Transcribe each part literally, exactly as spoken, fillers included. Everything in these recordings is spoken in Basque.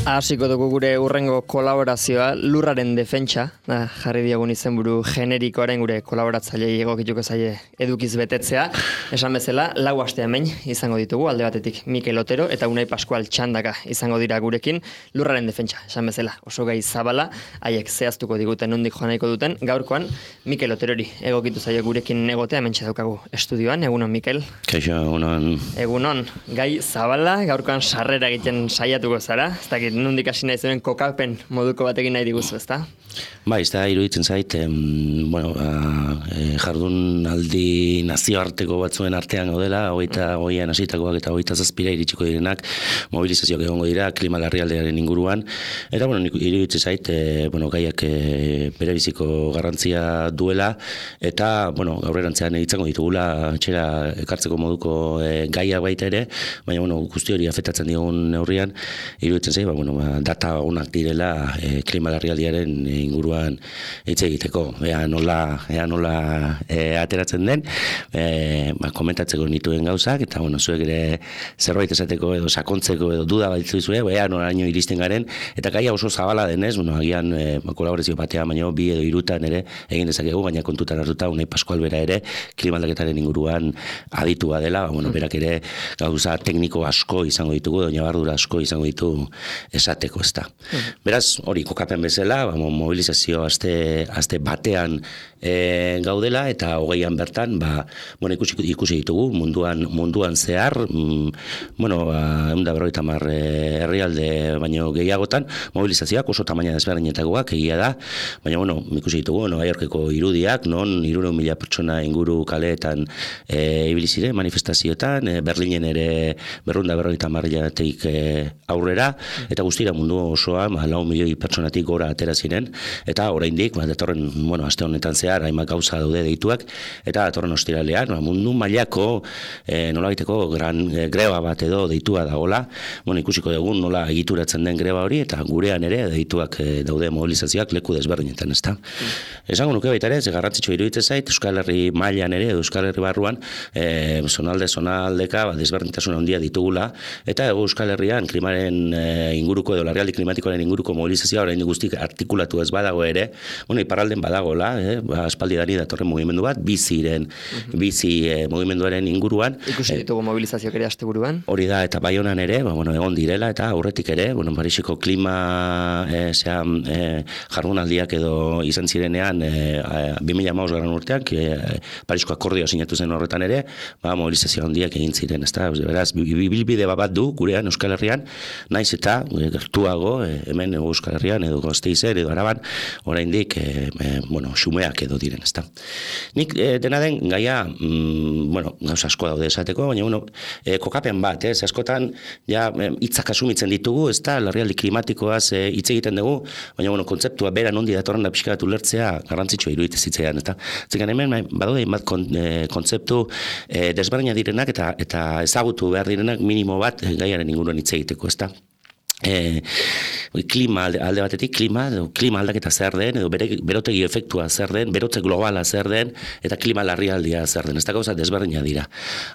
Hasiko dugu gure urrengo kolaborazioa, lurraren defentsa, da, jarri diogun izenburu generikoaren gure kolaboratzailei egokituko zaie edukiz betetzea. Esan bezala, lau aste hemen izango ditugu, alde batetik Mikel Otero eta Unai Pascual Txandaka izango dira gurekin, lurraren defentsa, esan bezala, oso gai zabala, haiek zehaztuko diguten nondik joan nahiko duten, gaurkoan Mikel Oterori egokitu zaie gurekin egotea, hementxe daukagu estudioan, egunon Mikel. Kaixo, egunon. Egunon, gai zabala, gaurkoan sarrera egiten saiatuko zara, ez dakit nondik hasi nahi zuen kokapen moduko batekin nahi diguzu, ezta? Ba, ez da, iruditzen zait, em, bueno, a, e, jardun aldi nazioarteko batzuen artean gaudela, hogeita goian hasitakoak eta hogeita zazpira iritsiko direnak, mobilizazioak egongo dira, klima larrialdiaren inguruan, eta, bueno, iruditzen zait, e, bueno, gaiak e, berebiziko garrantzia duela, eta, bueno, gaurrerantzean izango ditugula, txera ekartzeko moduko e, gaia baita ere, baina, bueno, guzti hori afektatzen digun neurrian, iruditzen zait, ba, bueno, ba, data onak direla e, klima larrialdiaren inguruan hitz egiteko, ea nola, ea nola e, ateratzen den, e, ba, komentatzeko nituen gauzak, eta bueno, zuek ere zerbait esateko edo sakontzeko edo duda bat dituzue, ea noraino iristen garen, eta gaia oso zabala denez, bueno, agian e, kolaborazio batean, baina bi edo hirutan ere egin dezakegu, baina kontutan hartuta Unai Pascual bera ere klima aldaketaren inguruan aditua dela, ba, bueno, berak ere gauza tekniko asko izango ditugu, edo ñabardura asko izango ditu esateko, ez da. Beraz, hori kokapen bezala, ba, mobilizazio aste, aste batean e, gaudela, eta hogeian bertan, ba, bueno, ikusi, ikusi ditugu munduan, munduan zehar, mm, bueno, ba, ehun eta berrogeita hamar herrialde baino gehiagotan, mobilizazioak oso tamaina desberdinetakoak egia da, baina, bueno, ikusi ditugu, Nova Yorkeko irudiak, non hirurehun mila pertsona inguru kaleetan e, ibili ziren manifestazioetan, e, Berlinen ere berrehun eta berrogeita hamaretik e, aurrera, eta guztira mundu osoa, ba, lau milioi pertsonatik gora atera ziren, eta oraindik, ba, datorren, bueno, aste honetan zehar, hainbat gauza daude deituak, eta datorren ostiralean, ba, mundu mailako e, nolabaiteko gran e, greba bat edo deitua dagoela, bueno, ikusiko dugun nola egituratzen den greba hori, eta gurean ere deituak e, daude mobilizazioak leku desberdinetan, ezta. Mm. Esango nuke baita ere, ze garrantzitsua iruditzen zait, Euskal Herri mailan ere, Euskal Herri barruan, e, zonalde, zonaldeka, ba, desberdintasun handia ditugula, eta Euskal Herrian klimaren e, inguruko edo larrialdi klimatikoaren inguruko mobilizazioa orain guztik artikulatu ez badago ere, bueno, iparralden badagola, eh, ba, aspaldi dani datorren mugimendu bat, biziren, uh-huh. bizi eh, mugimenduaren inguruan. Ikusi ditugu eh, mobilizazioak ere asteburuan. Hori da, eta Baionan ere, ba, bueno, egon direla, eta aurretik ere, bueno, Parisiko klima eh, zea, eh, jardunaldiak edo izan zirenean eh, bi mila hamabost garren urtean, eh, Parisko akordio sinatu zen horretan ere, ba, mobilizazio handiak egin ziren, ezta? Beraz, bilbide bat du gurean Euskal Herrian, naiz eta eh, gertuago eh, hemen Euskal Herrian edo Gasteizen edo Araban oraindik e, e, bueno, xumeak edo diren, ezta. Nik e, dena den gaia, mm, bueno, gauza asko daude esateko, baina bueno, e, kokapen bat, ez, askotan ja hitzak asumitzen ditugu, ezta, larrialdi klimatikoaz hitz e, egiten dugu, baina bueno, kontzeptua bera nondi datorren da pixka bat ulertzea garrantzitsua iruditzen zitzaidan, eta zekan hemen badaude hainbat kon, e, kontzeptu e, desberdina direnak eta eta ezagutu behar direnak minimo bat e, gaiaren inguruan hitz egiteko, ezta. E, klima alde, alde batetik klima, edo, klima aldaketa zer den, edo bere, berotegi efektua zer den, berotze globala zer den, eta klima larrialdia zer den. Ez da gauza desberdina dira.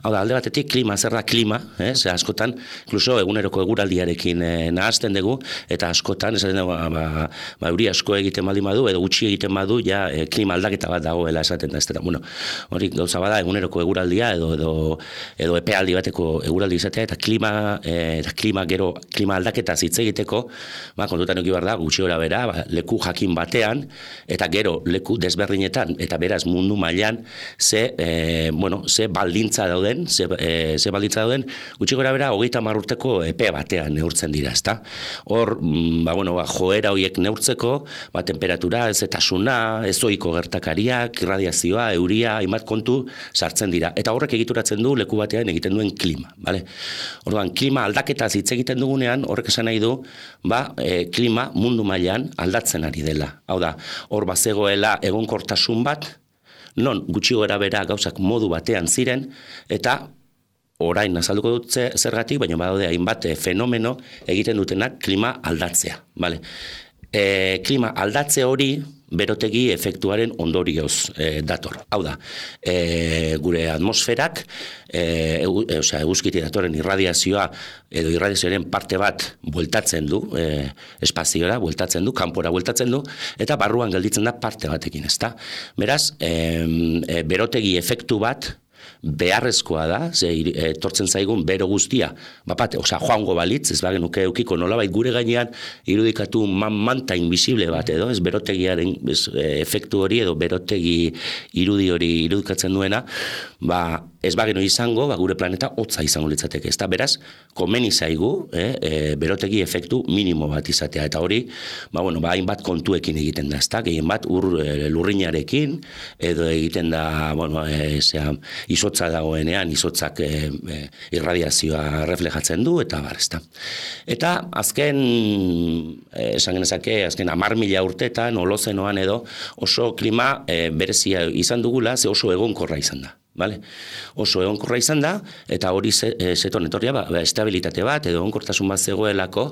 Hau da, alde batetik klima zer da klima, eh? Ze askotan, inkluso eguneroko eguraldiarekin eh, nahazten dugu, eta askotan, esaten dugu, ba, ba, euri asko egiten baldin badu, edo gutxi egiten badu, ja eh, klima aldaketa bat dagoela esaten da. Ez da, bueno, hori gauza bada eguneroko eguraldia, edo, edo, edo epealdi bateko eguraldi izatea, eta klima, eh, eta klima gero, klima aldaketa hitz egiteko, ba, kontutan eduki behar da, gutxi gora bera, ba, leku jakin batean, eta gero leku desberdinetan, eta beraz mundu mailan, ze, e, bueno, ze baldintza dauden, ze, e, ze baldintza dauden, gutxi gora bera, hogeita hamar urteko epe batean neurtzen dira, ezta? Hor, ba, bueno, ba, joera horiek neurtzeko, ba, temperatura, ezetasuna, ezoiko gertakariak, irradiazioa, euria, hainbat kontu sartzen dira. Eta horrek egituratzen du leku batean egiten duen klima, bale? Orduan, klima aldaketaz hitz egiten dugunean, horrek esan nahi du, ba, e, klima mundu mailan aldatzen ari dela. Hau da, hor bazegoela egonkortasun bat, non gutxi gora bera gauzak modu batean ziren, eta orain azalduko dut zergatik, baina badaude hainbat fenomeno egiten dutenak klima aldatzea. Vale? e, klima aldatze hori berotegi efektuaren ondorioz e, dator. Hau da, e, gure atmosferak, e, egu, e, osea, eguzkiti datorren irradiazioa edo irradiazioaren parte bat bueltatzen du, e, espaziora bueltatzen du, kanpora bueltatzen du, eta barruan gelditzen da parte batekin, ezta? Beraz, e, e, berotegi efektu bat beharrezkoa da, ze etortzen zaigun bero guztia, bapate, osea, joango balitz, ez bagenuke eukiko nolabait gure gainean irudikatu man, manta invisible bat edo, ez berotegiaren ez, efektu hori edo berotegi irudi hori irudikatzen duena, ba, ez bagenu izango, ba, gure planeta hotza izango litzateke, ez da, beraz, komeni zaigu, eh, e, berotegi efektu minimo bat izatea, eta hori, ba, bueno, ba, hainbat kontuekin egiten da, ez da, gehien bat ur e, lurrinarekin, edo egiten da, bueno, e, zera, izotza dagoenean, izotzak e, e, irradiazioa reflejatzen du, eta bar, ez da. Eta azken, e, esan genezake, azken amar mila urtetan, holozenoan edo, oso klima e, berezia izan dugula, ze oso egonkorra izan da. Vale? Oso egonkorra izan da, eta hori zeton etorria, ba, estabilitate bat, edo egonkortasun bat zegoelako,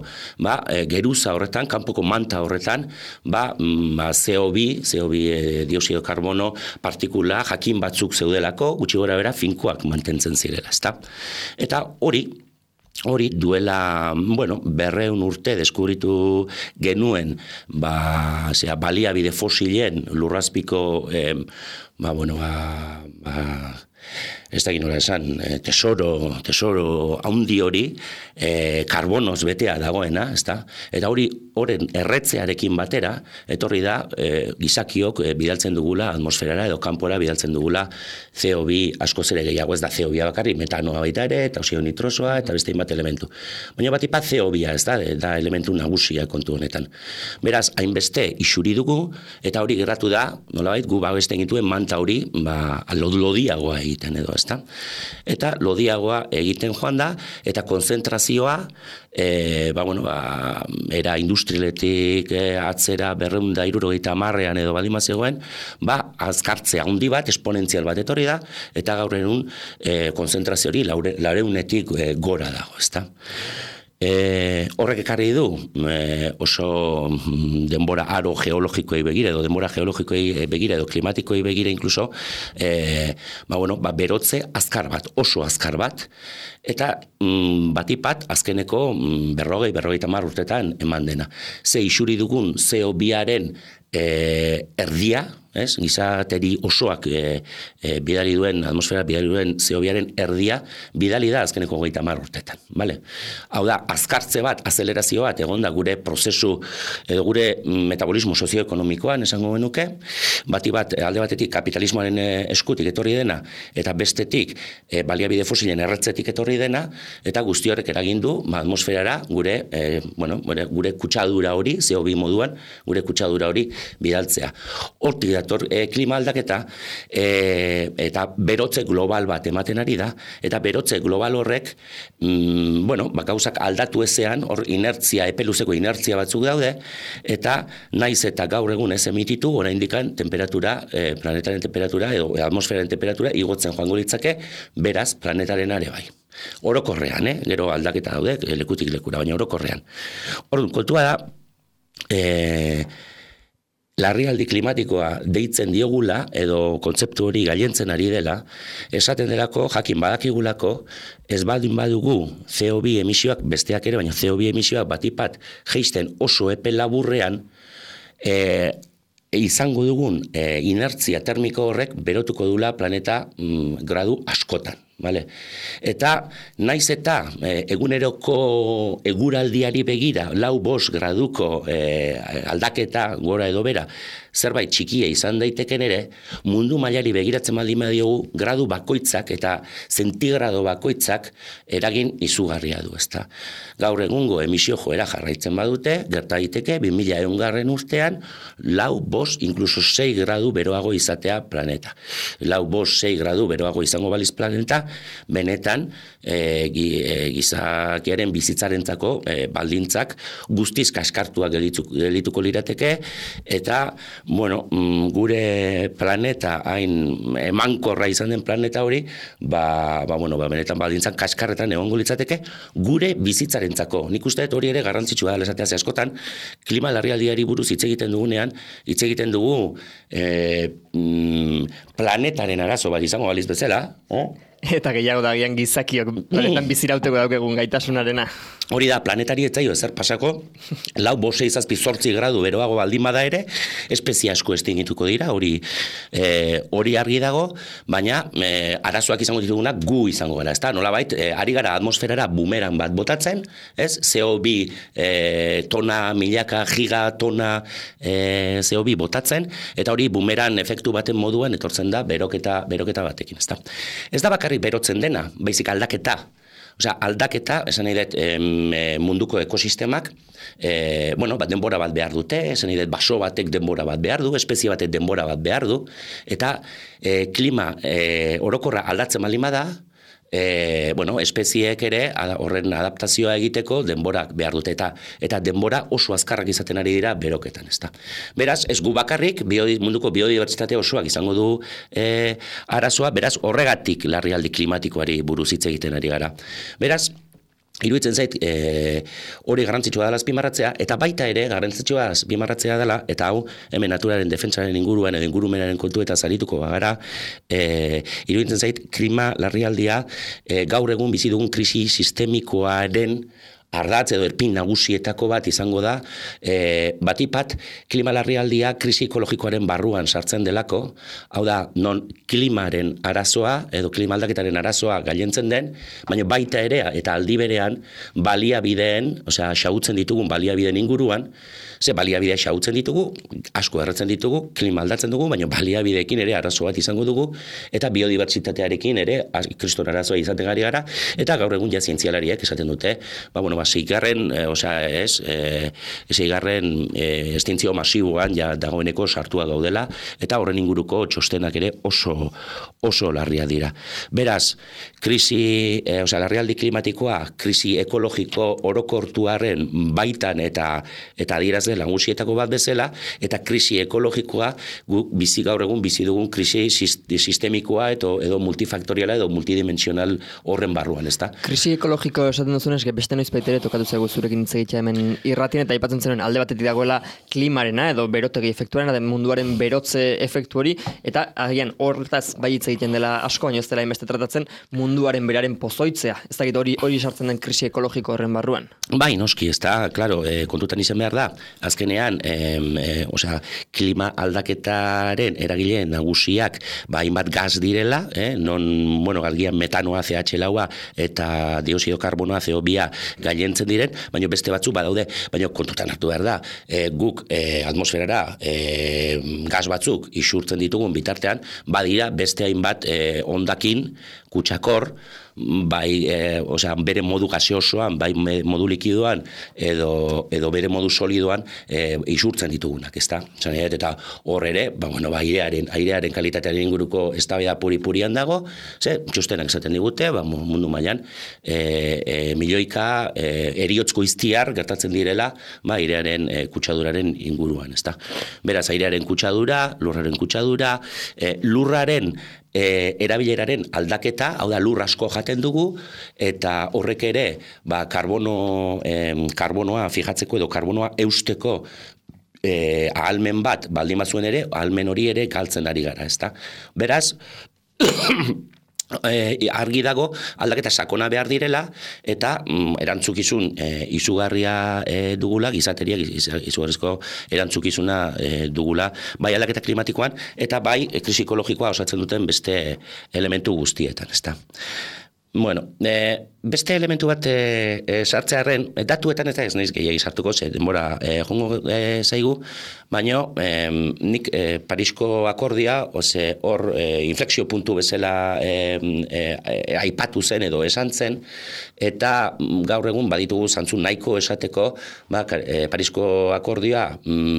ba, e, geruza horretan, kanpoko manta horretan, ba, ba, C O bi, C O bi e, dioxido karbono, partikula, jakin batzuk zeudelako, gutxi gora bera, finkoak mantentzen zirela, ezta? Eta hori, Hori duela, bueno, berreun urte deskubritu genuen, ba, zera, baliabide fosilen lurrazpiko, eh, ba, bueno, ba, ba, ez da ginola esan, eh, tesoro, tesoro haundi hori, eh, karbonoz betea dagoena, ez da? Eta hori, horren erretzearekin batera, etorri da, eh, gizakiok eh, bidaltzen dugula atmosferara edo kanpora bidaltzen dugula C O bi askoz ere gehiago, ez da C O bi bakarrik, metanoa baita ere, eta oxio nitrosoa, eta beste bat elementu. Baina bat ipat C O bi, ez da, da elementu nagusia kontu honetan. Beraz, hainbeste isuri dugu, eta hori gerratu da, nolabait, gu babesten gituen manta hori, ba, lodiagoa egiten edo, ez da? Eta lodiagoa egiten joan da, eta konzentrazioa, e, ba, bueno, ba, era industrialetik e, atzera berreun da hirurogeita hamarrean edo baldin bazegoen, ba, azkartzea handi bat, esponentzial bat etorri da, eta gaur egun e, konzentrazio hori laureunetik e, gora dago, ezta? E, horrek ekarri du e, oso denbora aro geologikoei begira edo denbora geologikoei begira edo klimatikoei begira inkluso e, ba, bueno, ba, berotze azkar bat, oso azkar bat, eta mm, batipat azkeneko mm, berrogei, berrogeita hamar urtetan eman dena. Ze isuri dugun C O biaren e, erdia, ez? Gizateri osoak e, e, bidali duen, atmosfera bidali duen C O biaren erdia, bidali da azkeneko hogeita hamar urtetan. Vale? Hau da, azkartze bat, azelerazio bat, egon da gure prozesu, edo gure metabolismo sozioekonomikoan esango genuke, bati bat, alde batetik kapitalismoaren eskutik etorri dena, eta bestetik e, baliabide fosilen erretzetik etorri dena, eta guzti horrek eragin du ba, atmosferara gure, e, bueno, gure, gure kutsadura hori, C O bi moduan, gure kutsadura hori bidaltzea. Hortik dator e, klima aldaketa e, eta berotze global bat ematen ari da, eta berotze global horrek mm, bueno, ba, gauzak aldatu ezean, hor inertzia, epeluzeko inertzia batzuk daude, eta naiz eta gaur egun ez emititu, oraindikan temperatura, e, planetaren temperatura edo atmosferaren temperatura igotzen joango litzake, beraz planetaren are bai. Orokorrean, eh? Gero aldaketa daude, lekutik lekura, baina orokorrean. Orduan, kontua da, eh, larrialdi klimatikoa deitzen diogula, edo kontzeptu hori gailentzen ari dela, esaten delako, jakin badakigulako, ez baldin badugu C O bi emisioak, besteak ere, baina C O bi emisioak batipat jeisten oso epe laburrean, e, izango dugun e, inertzia termiko horrek berotuko dula planeta mm, gradu askotan. Vale. Eta naiz eta e, eguneroko eguraldiari begira lau bost graduko e, aldaketa gora edo bera zerbait txikia izan daiteken ere, mundu mailari begiratzen baldin badiogu gradu bakoitzak eta zentigrado bakoitzak eragin izugarria du, ezta. Gaur egungo emisio joera jarraitzen badute, gerta daiteke bi mila ehungarren urtean lau bost, inkluso sei gradu beroago izatea planeta. Lau bost, sei gradu beroago izango baliz planeta, benetan e, gizakiaren bizitzarentzako e, baldintzak guztiz kaskartuak gelituko lirateke, eta bueno, gure planeta hain emankorra izan den planeta hori, ba, ba, bueno, ba, benetan baldintzak kaskarretan egongo litzateke gure bizitzarentzako. Nik uste dut hori ere garrantzitsua da esatea, ze askotan klima larrialdiari buruz hitz egiten dugunean, hitz egiten dugu e, planetaren arazo bat izango baliz bezala, eh? Eta gehiago da gian gizakiok planetan bizirauteko daukegun gaitasunarena. Hori da, planetari ez zaio ezer pasako, lau bose izazpi zortzi gradu beroago baldin bada ere, espezie asko estingituko dira, hori e, hori argi dago, baina e, arazoak izango ditugunak gu izango gara, ezta? Nolabait, e, ari gara atmosferara bumeran bat botatzen, ez? C O bi e, tona, milaka, giga, tona e, C O bi botatzen, eta hori bumeran efektu baten moduan etortzen da beroketa, beroketa batekin, ezta? Ez da bakarrik berotzen dena, baizik aldaketa. Osea, aldaketa, esan nahi dut, munduko ekosistemak, e, bueno, bat denbora bat behar dute, esan nahi dut, baso batek denbora bat behar du, espezie batek denbora bat behar du, eta e, klima e, orokorra aldatzen baldin bada, E, bueno, espezieek ere horren adaptazioa egiteko denborak behar dute, eta eta denbora oso azkarrak izaten ari dira beroketan, ezta. Beraz, ez gu bakarrik biodi, munduko biodibertsitate osoak izango du e, arazoa, beraz horregatik larrialdi klimatikoari buruz hitz egiten ari gara. Beraz, iruditzen zait, e, hori garrantzitsua dela azpimarratzea, eta baita ere garrantzitsua azpimarratzea dela, eta hau hemen naturaren defentsaren inguruan edo ingurumenaren kontu eta zarituko bagara, e, iruditzen zait, klima larrialdia e, gaur egun bizi dugun krisi sistemikoaren ardatz edo erpin nagusietako bat izango da, e, batipat klima larrialdia krisi ekologikoaren barruan sartzen delako, hau da, non klimaren arazoa edo klima aldaketaren arazoa gailentzen den, baina baita ere eta aldi berean baliabideen, osea, xahutzen ditugun baliabideen inguruan, ze baliabidea xahutzen ditugu, asko erretzen ditugu, klima aldatzen dugu, baina baliabideekin ere arazo bat izango dugu, eta biodibertsitatearekin ere kriston arazoa izaten gari gara, eta gaur egun ja zientzialariek esaten dute, ba, bueno, ba, seigarren, e, osea, ez, e, seigarren e, estintzio masiboan ja dagoeneko sartua gaudela, eta horren inguruko txostenak ere oso, oso larria dira. Beraz, krisi, e, osea, larrialdi klimatikoa, krisi ekologiko orokortuaren baitan eta eta adieraz nagusietako bat bezala, eta krisi ekologikoa gu bizi gaur egun bizi dugun krisi sistemikoa edo, edo multifaktoriala edo multidimensional horren barruan, ezta? Krisi ekologiko esaten duzunez, beste noiz baitere tokatu zaigu zurekin hitz egitea hemen irratien, eta aipatzen zenuen alde batetik dagoela klimarena edo berotegi efektuarena, den munduaren berotze efektu hori, eta agian horretaz bai hitz egiten dela asko, baina ez dela inbeste tratatzen munduaren beraren pozoitzea. Ez dakit hori hori sartzen den krisi ekologiko horren barruan. Bai, noski, ez da, klaro, e, kontutan izan behar da, azkenean, em, e, osea, klima aldaketaren eragile nagusiak, ba, hainbat gaz direla, eh, non, bueno, galgian metanoa, C H laua eta dioxido karbonoa, C O bi gailentzen diren, baina beste batzu badaude, baina kontutan hartu behar da, e, guk e, atmosferara e, gaz batzuk isurtzen ditugun bitartean, badira beste hainbat e, ondakin, kutsakor, bai, e, osea, bere modu gaseosoan, bai modu likidoan, edo, edo bere modu solidoan e, isurtzen ditugunak, ezta? Zaneet, eta hor ere, ba, bueno, ba, airearen, airearen kalitatearen inguruko eztabaida puri-purian dago, ze, txostenak esaten digute, ba, mundu mailan, e, e, milioika e, eriotzko iztiar gertatzen direla, ba, airearen e, kutsaduraren inguruan, ezta? Beraz, airearen kutsadura, lurraren kutsadura, e, lurraren E, erabileraren aldaketa, hau da lur asko jaten dugu, eta horrek ere ba, karbono, em, karbonoa fijatzeko edo karbonoa eusteko e, ahalmen bat baldin bazuen ere, ahalmen hori ere galtzen ari gara, ezta? Beraz, E, argi dago aldaketa sakona behar direla, eta mm, erantzukizun e, izugarria e, dugula, gizateria izugarrizko erantzukizuna e, dugula, bai aldaketa klimatikoan, eta bai e, krisi ekologikoa osatzen duten beste elementu guztietan, ezta. Bueno, e, beste elementu bat e, e, sartzearen, datuetan ez da ez naiz gehiagi sartuko, ze denbora e, jongo e, zaigu, baina e, nik e, Parisko akordia, oze, hor e, inflexio puntu bezala e, e, e, aipatu zen edo esan zen, eta gaur egun baditugu zantzun nahiko esateko, ba, e, Parisko akordioa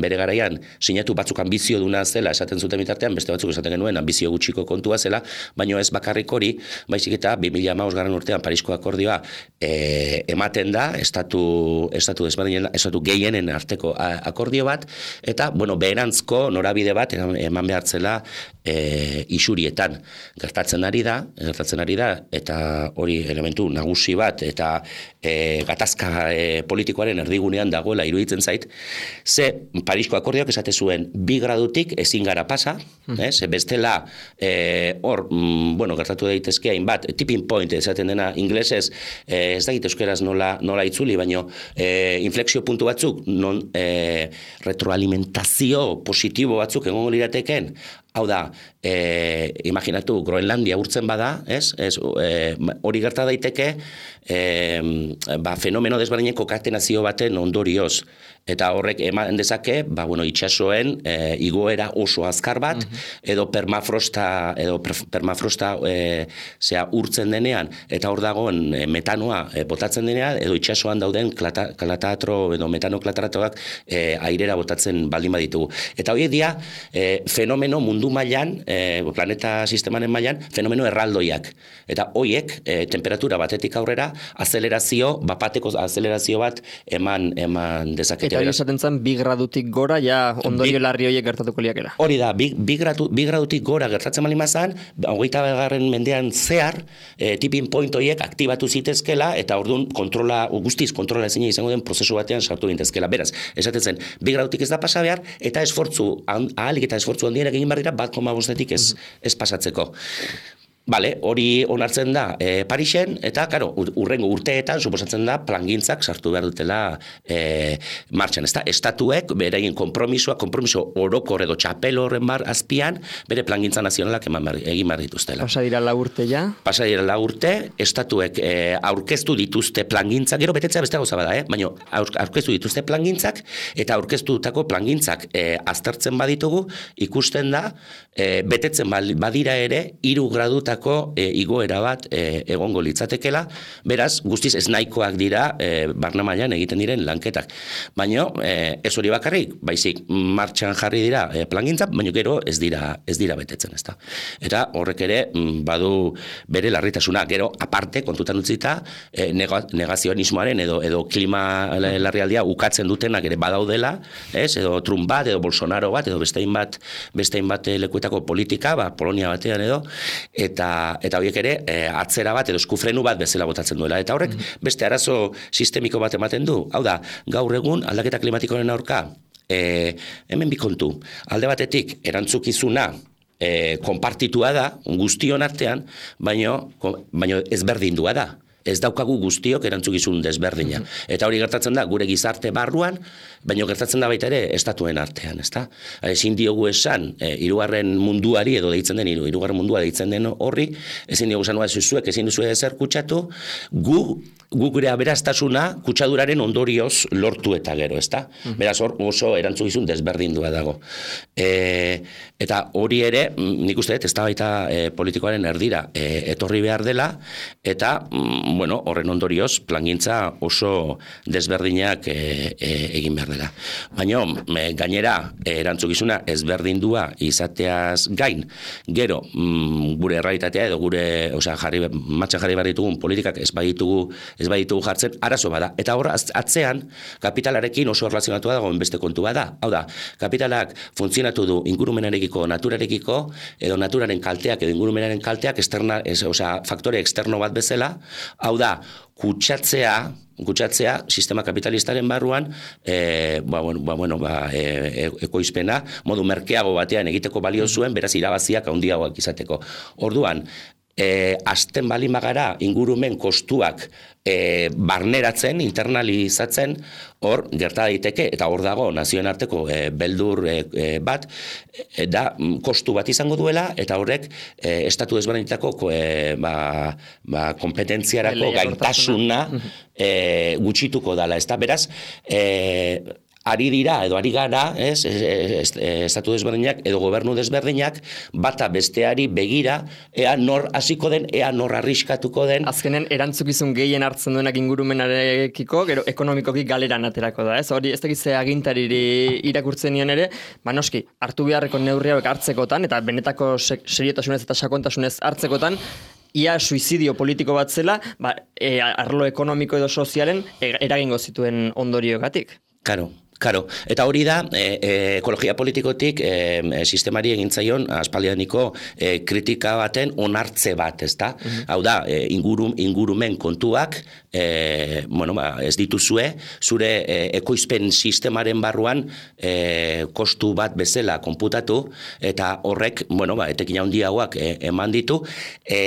bere garaian sinatu batzuk ambizio duna zela esaten zuten bitartean, beste batzuk esaten genuen ambizio gutxiko kontua zela, baina ez bakarrik hori, baizik eta bi mila hamabost garren urtean Parisko akordioa e, ematen da, estatu, estatu desberdinen, estatu gehienen arteko akordio bat, eta, bueno, beherantzko norabide bat eman behartzela e, isurietan. Gertatzen ari da, gertatzen ari da, eta hori elementu nagusi bat, eta e, gatazka e, politikoaren erdigunean dagoela iruditzen zait, ze Parisko akordioak esate zuen bi gradutik ezin gara pasa, mm. eh, ze bestela e, hor, mm, bueno, gertatu daitezke hainbat, tipping point esaten dena inglesez, eh, ez da euskeraz nola, nola itzuli, baino eh, inflexio puntu batzuk, non eh, retroalimentazio positibo batzuk egongo lirateken, hau da, eh, imaginatu, Groenlandia urtzen bada, ez? Ez, eh, hori gerta daiteke, eh, ba, fenomeno desberdinen kokatenazio baten ondorioz. Eta horrek eman dezake, ba, bueno, itxasoen eh, igoera oso azkar bat, uh-huh. edo permafrosta, edo permafrosta eh, zea urtzen denean, eta hor dagoen eh, metanoa eh, botatzen denean, edo itxasoan dauden klata, klatatro, edo metanoklataratoak eh, airera botatzen baldin baditugu. Eta hori dia, eh, fenomeno mundu mailan, eh, planeta sistemaren mailan, fenomeno erraldoiak. Eta horiek, eh, temperatura batetik aurrera, azelerazio, bapateko azelerazio bat eman, eman dezake. Eta hori esaten zen, bi gradutik gora, ja ondorio bi, larri horiek gertatuko liakera. Hori da, bi, bi, gradu, bi gradutik gora gertatzen bali mazan, hogeita garren mendean zehar, e, tipping point horiek aktibatu zitezkela, eta orduan kontrola, guztiz kontrola ezin izango den prozesu batean sartu gintezkela. Beraz, esaten zen, bi gradutik ez da pasa behar, eta esfortzu, ahalik eta esfortzu handienak egin barrira, bat koma bostetik ez, ez pasatzeko. Bale, hori onartzen da e, Parisen, eta, karo, urrengo urteetan, suposatzen da, plangintzak sartu behar dutela e, martxan, ez da? Estatuek, beraien kompromisoa, kompromiso orokor edo txapel horren bar azpian, bere plangintza nazionalak eman bar, egin behar dituztela. Pasa dira la urte ja? Pasa dira la urte, estatuek e, aurkeztu dituzte plangintzak, gero betetzea beste gauza bada, eh? Baina aurkeztu dituzte plangintzak, eta aurkeztutako plangintzak e, aztertzen baditugu, ikusten da, e, betetzen badira ere, hiru graduta E, igoera bat e, egongo litzatekela, beraz, guztiz ez nahikoak dira e, barna mailan egiten diren lanketak. Baina e, ez hori bakarrik, baizik martxan jarri dira e, plangintzak, baina gero ez dira, ez dira betetzen, ezta. Eta horrek ere badu bere larritasuna, gero aparte kontutan utzita e, negazionismoaren edo, edo klima larrialdia ukatzen dutenak ere badaudela, ez, edo Trump bat, edo Bolsonaro bat, edo bestein bat, bestein bat lekuetako politika, ba, Polonia batean edo, eta eta horiek ere e, atzera bat edo eskufrenu bat bezala botatzen duela. Eta horrek beste arazo sistemiko bat ematen du. Hau da, gaur egun aldaketa klimatikoaren aurka, e, hemen bi kontu. Alde batetik, erantzukizuna e, konpartitua da, guztion artean, baino, baino ezberdindua da. Ez daukagu guztiok erantzukizun desberdina. Eta hori gertatzen da gure gizarte barruan, baina gertatzen da baita ere estatuen artean, ezta? Ezin diogu esan, e, hirugarren munduari edo deitzen den, hirugarren mundua deitzen den horri, ezin diogu esan zuek, ezin duzu ezer kutsatu, gu, gu gure aberastasuna kutsaduraren ondorioz lortu eta gero, ezta? Beraz hor oso erantzukizun desberdindua dago. E, eta hori ere, nik uste dut, ez da baita e, politikoaren erdira e, etorri behar dela, eta bueno, horren ondorioz, plangintza oso desberdinak e, e, egin behar dela. Baina, e, gainera, e, erantzukizuna ezberdindua izateaz gain, gero, mm, gure errealitatea edo gure, osea, jarri, matxan jarri behar ditugun politikak ez baditugu, ez baditugu jartzen, arazo bada. Eta hor, atzean, kapitalarekin oso erlazionatua dagoen beste kontua da. Hau da, kapitalak funtzionatu du ingurumenarekiko, naturarekiko, edo naturaren kalteak, edo ingurumenaren kalteak, externa, ez, osea, faktore externo bat bezala. Hau da, kutsatzea, kutsatzea sistema kapitalistaren barruan, e, ba, bueno, ba, bueno, ba, e, ekoizpena, modu merkeago batean egiteko balio zuen, beraz irabaziak handiagoak izateko. Orduan, e, azten balin bagara ingurumen kostuak E, barneratzen, internalizatzen, hor gerta daiteke, eta hor dago nazioen arteko e, beldur e, e, bat, e, da kostu bat izango duela, eta horrek e, estatu desberdinetako e, ba, ba, kompetentziarako gaitasuna e, gutxituko dala, ez da, beraz, e, ari dira, edo ari gara, ez, estatu desberdinak, edo gobernu desberdinak, bata besteari begira, ea nor hasiko den, ea nor arriskatuko den. Azkenen, erantzukizun gehien hartzen duenak ingurumenarekiko, gero ekonomikoki galeran aterako da, ez? Hori, ez dakize agintariri irakurtzen nion ere, ba noski, hartu beharreko neurri hauek hartzekotan, eta benetako seriotasunez eta sakontasunez hartzekotan, ia suizidio politiko bat zela, ba, e, arlo ekonomiko edo sozialen eragingo zituen ondoriogatik. Karo. Karo, eta hori da, e, e, ekologia politikotik e, sistemari egintzaion aspaldianiko e, kritika baten onartze bat, ezta? Mm-hmm. Hau da, e, ingurum, ingurumen kontuak, e, bueno, ba, ez dituzue, zure e, ekoizpen sistemaren barruan e, kostu bat bezala konputatu, eta horrek, bueno, ba, etekin handiagoak e, eman ditu, e,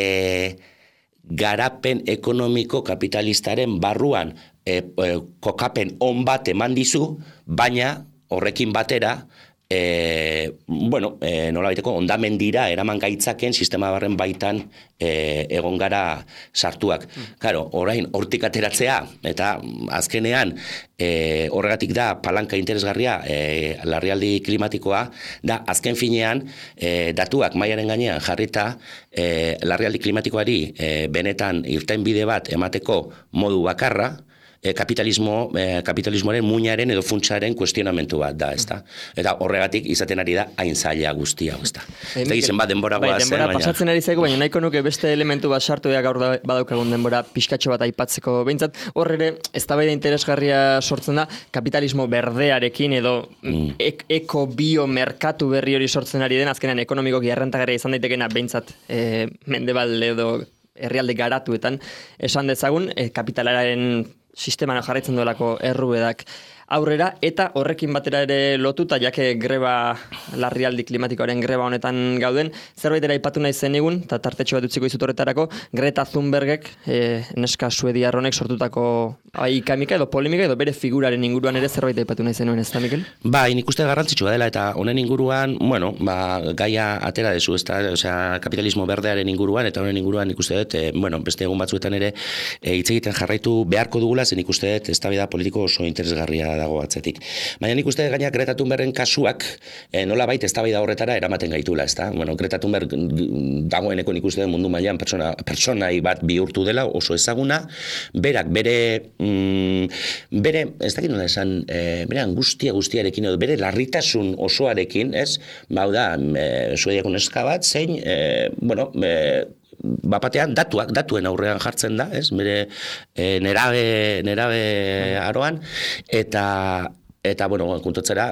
garapen ekonomiko kapitalistaren barruan E, e, kokapen on bat eman dizu, baina horrekin batera, e, bueno, e, nola baiteko, ondamendira eraman gaitzaken sistema barren baitan e, egon gara sartuak. Claro, orain, hortik ateratzea, eta azkenean, e, horregatik da palanka interesgarria e, larrialdi klimatikoa, da azken finean, e, datuak mailaren gainean jarrita, e, larrialdi klimatikoari e, benetan irtenbide bat emateko modu bakarra, kapitalismo, eh, kapitalismoaren muinaren edo funtsaren kuestionamentu bat da, ezta? Eta horregatik izaten ari da hain zaila guztia, ezta? Ez da izen bat denbora bai, goazen, denbora baina... pasatzen ari zaigu, baina nahiko nuke beste elementu bat sartu ea gaur badaukagun denbora pixkatxo bat aipatzeko behintzat. Hor ere, eztabaida interesgarria sortzen da, kapitalismo berdearekin edo mm. ek, eko bio merkatu berri hori sortzen ari den, azkenean ekonomikoki errentagarria izan daitekena behintzat e, mendebalde edo herrialde garatuetan esan dezagun, e, kapitalaren sisteman jarraitzen duelako errubedak aurrera, eta horrekin batera ere lotuta, jake greba, larrialdi klimatikoaren greba honetan gauden, zerbait ere aipatu nahi zenigun, eta tartetxo bat utziko izut horretarako, Greta Thunbergek, e, neska suediar honek sortutako ikamika edo polemika edo bere figuraren inguruan ere zerbait aipatu nahi zenuen, ez da, Mikel? Ba, nik uste garrantzitsua dela, eta honen inguruan, bueno, ba, gaia atera dezu, ez da, osea, kapitalismo berdearen inguruan, eta honen inguruan nik uste dut, e, bueno, beste egun batzuetan ere, e, hitz egiten jarraitu beharko dugula, zen nik uste dut, eztabaida politiko oso interesgarria dago atzetik. Baina nik uste gaina Greta Thunbergen kasuak eh, nola baita eztabaida horretara eramaten gaitula, ezta? Bueno, Greta Thunberg dagoeneko nik uste mundu mailan pertsona pertsonai bat bihurtu dela, oso ezaguna, berak bere mm, bere, ez dakit nola esan, eh, bere angustia guztiarekin edo bere larritasun osoarekin, ez? Bau da, eh, Suediako neska bat, zein, eh, bueno, eh, bapatean datuak, datuen aurrean jartzen da, ez? Bere e, nerabe, nerabe aroan, eta eta bueno, kontutzera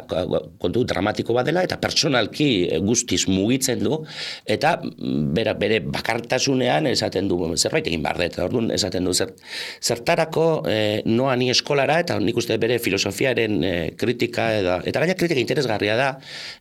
kontu dramatiko bat dela eta personalki guztiz mugitzen du eta bera, bere bakartasunean esaten du zerbait egin behar dut, orduan esaten du zer, zertarako eh, noa ni eskolara eta nik uste bere filosofiaren eh, kritika eta, eta gaina kritika interesgarria da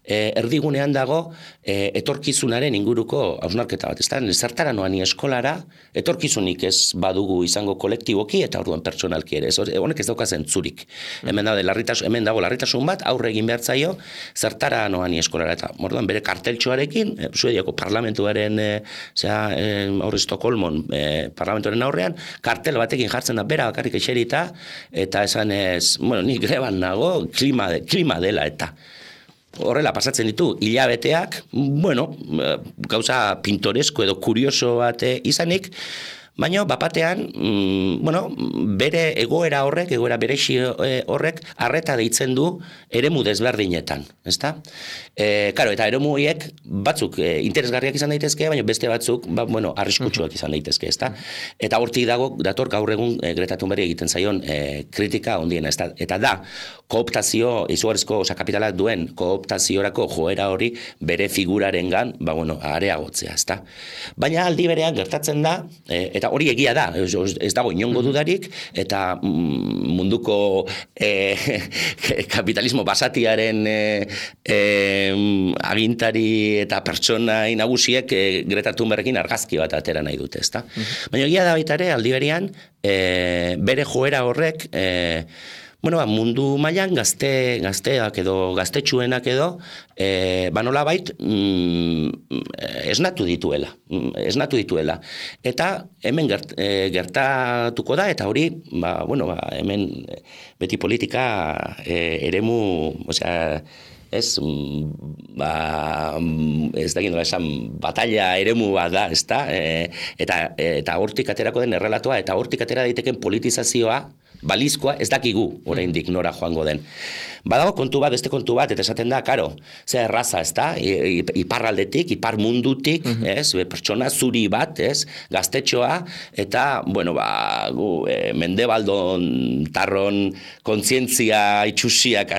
eh, erdigunean dago eh, etorkizunaren inguruko hausnarketa bat, ezta? Zertara noa ni eskolara etorkizunik ez badugu izango kolektiboki eta orduan pertsonalki ere, ez, honek ez dauka zentzurik. Hemen da, larritasun, hemen dago larritasun bat, aurre egin behar zaio, zertara noani eskolara eta morduan bere karteltxoarekin, e, Suediako parlamentuaren, e, zera, e, aurre Estokolmon, e, parlamentuaren aurrean, kartel batekin jartzen da bera bakarrik eserita, eta esan ez, bueno, ni greban nago, klima, de, klima dela eta. Horrela pasatzen ditu hilabeteak, bueno, gauza pintoresko edo kurioso bat izanik, baina bapatean, mm, bueno, bere egoera horrek, egoera berexi horrek, arreta deitzen du eremu desberdinetan, ezta? E, karo, eta eremu horiek batzuk e, interesgarriak izan daitezke, baina beste batzuk, ba, bueno, arriskutsuak izan daitezke, ezta? Eta hortik dago, dator gaur egun e, Greta Thunberg egiten zaion e, kritika ondiena, ezta? Eta da, kooptazio, izugarrizko, oza, kapitalak duen kooptaziorako joera hori bere figurarengan, ba, bueno, areagotzea, ezta? Baina aldi berean gertatzen da, e, eta hori egia da, ez, ez dago inongo dudarik, eta munduko e, kapitalismo basatiaren e, e, agintari eta pertsonai nagusiek e, Greta Thunbergin argazki bat atera nahi dute, ezta? Mm-hmm. Baina egia da baita ere, aldi berean, e, bere joera horrek, e, bueno, ba, mundu mailan gazte, gazteak edo gaztetxuenak edo, e, ba nolabait mm, esnatu dituela, esnatu dituela. Eta hemen gert, e, gertatuko da, eta hori, ba, bueno, ba, hemen beti politika e, eremu, osea, ez, ba, ez da gindola esan, batalla eremu bat da, ez da, e, eta, eta hortik aterako den errelatoa, eta hortik atera daiteken politizazioa, balizkoa ez dakigu oraindik nora joango den. Badago kontu bat, beste kontu bat, eta esaten da, karo, ze erraza, ez da, iparraldetik, ipar mundutik, mm-hmm. ez, pertsona zuri bat, ez, gaztetxoa, eta, bueno, ba, gu, e, mendebaldon tarron kontzientzia itxusiak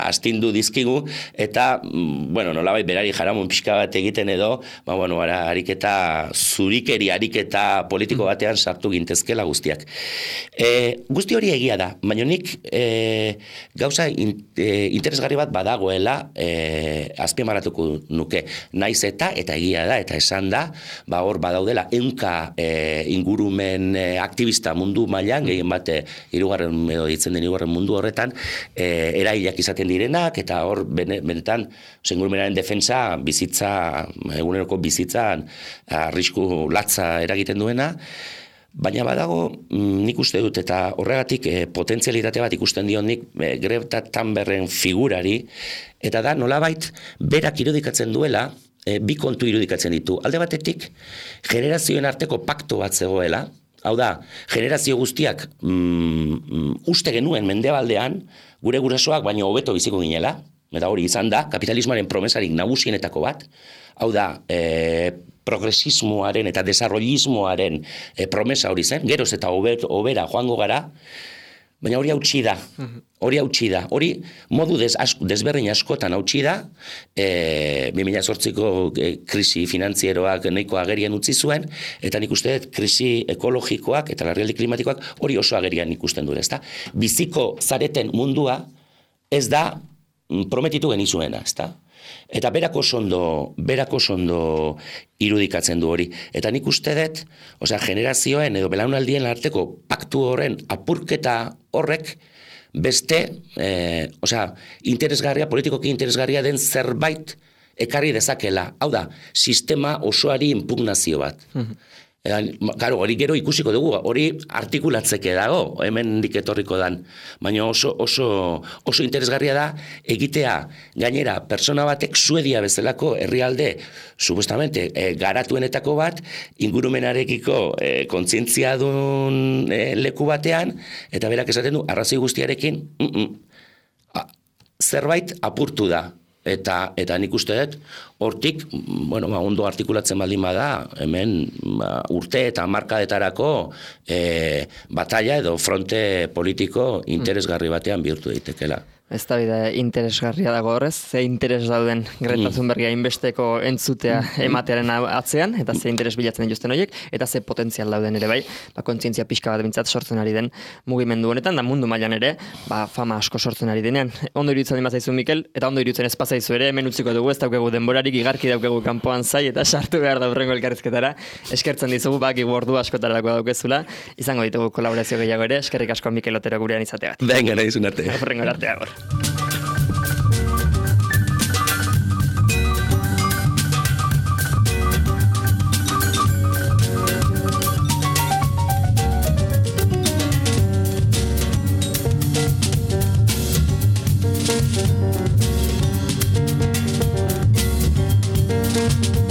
astindu dizkigu, eta, bueno, nolabait berari jaramun pixka bat egiten edo, ba, bueno, ara, ariketa, zurikeri ariketa politiko batean sartu gintezkela guztiak. E, guzti hori egia da, baina nik e, gauza in, e, interesgarri bat badagoela e, azpimarratuko nuke. Naiz eta, eta egia da, eta esan da, ba hor badaudela ehunka e, ingurumen e, aktivista mundu mailan, gehien bate hirugarren edo ditzen den hirugarren mundu horretan, e, erailak izaten direnak, eta hor bene, benetan ingurumenaren defensa, bizitza, eguneroko bizitzan arrisku latza eragiten duena. Baina badago, nik uste dut, eta horregatik e, potentzialitate bat ikusten dion nik e, Greta Thunbergen figurari, eta da nolabait berak irudikatzen duela, e, bi kontu irudikatzen ditu. Alde batetik, generazioen arteko pakto bat zegoela, hau da, generazio guztiak mm, uste genuen mendebaldean, gure gurasoak baino hobeto biziko ginela, eta hori izan da, kapitalismoaren promesarik nagusienetako bat, hau da, e, progresismoaren eta desarrollismoaren e, promesa hori zen, geroz eta hobera joango gara, baina hori hautsi da, hori hautsi da, hori modu des, asko, desberdin askotan hautsi da, e, bi mila zortziko e, krisi finantzieroak nahiko agerian utzi zuen, eta nik uste dut krisi ekologikoak eta larrialdi klimatikoak hori oso agerian ikusten du, ezta? Biziko zareten mundua ez da prometitu genizuena, ezta? Eta berako sondo, berako sondo irudikatzen du hori. Eta nik uste dut, osea, generazioen edo belaunaldien arteko paktu horren apurketa horrek beste, eh, osea, interesgarria, politikoki interesgarria den zerbait ekarri dezakela. Hau da, sistema osoari impugnazio bat. Claro, hori gero ikusiko dugu, hori artikulatzeke dago, hemen diketorriko dan, baina oso, oso, oso interesgarria da egitea gainera pertsona batek Suedia bezalako herrialde supuestamente e, garatuenetako bat ingurumenarekiko e, kontzientzia duen e, leku batean, eta berak esaten du arrazoi guztiarekin mm -mm, a, zerbait apurtu da. Eta, eta nik uste dut, hortik, bueno, ba, ondo artikulatzen baldin bada, hemen ba, urte eta markadetarako e, batalla edo fronte politiko interesgarri batean bihurtu daitekela. Ez da bide interesgarria dago horrez, ze interes dauden Greta Thunbergia inbesteko entzutea ematearen atzean, eta ze interes bilatzen dituzten horiek, eta ze potentzial dauden ere bai, ba, kontzientzia pixka bat bintzat sortzen ari den mugimendu honetan, da mundu mailan ere, ba, fama asko sortzen ari denean. Ondo iruditzen dima zaizu Mikel, eta ondo iruditzen ez pasaizu ere, hemen utziko dugu, ez daukegu denborarik, igarki daukegu kanpoan zai, eta sartu behar da hurrengo elkarrizketara, eskertzen dizugu, baki ordu askotarako daukezula, izango ditugu kolaborazio gehiago ere, eskerrik asko Mikel Otero gurean izategat. Venga, nahi zun arte. Hurrengo arte agor. Thank you.